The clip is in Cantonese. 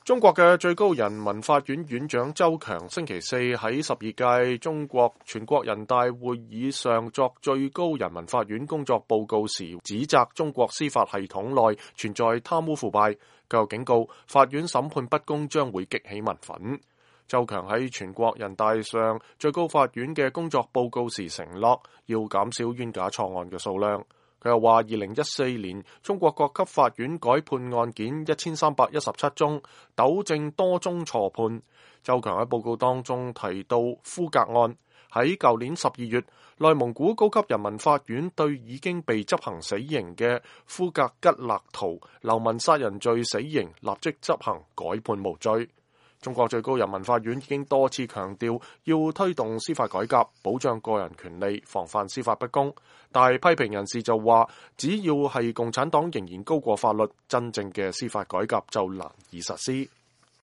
中國嘅最高人民法院院長周強星期四喺12屆中國全國人大會議上作最高人民法院工作報告時，指責中國司法系統內存在貪污腐敗，佢又警告法院審判不公將會激起民憤。周強喺全國人大上最高法院嘅工作報告時承諾要減少冤假錯案嘅數量。佢又話，2014年中國各級法院改判案件1317宗，糾正多宗錯判。周強喺報告當中提到呼格案，喺舊年12月，內蒙古高級人民法院對已經被執行死刑嘅呼格吉勒圖流氓殺人罪死刑立即執行，改判無罪。中國最高人民法院已經多次強調要推動司法改革，保障個人權利，防範司法不公。但係批評人士就話，只要係共產黨仍然高過法律，真正嘅司法改革就難以實施。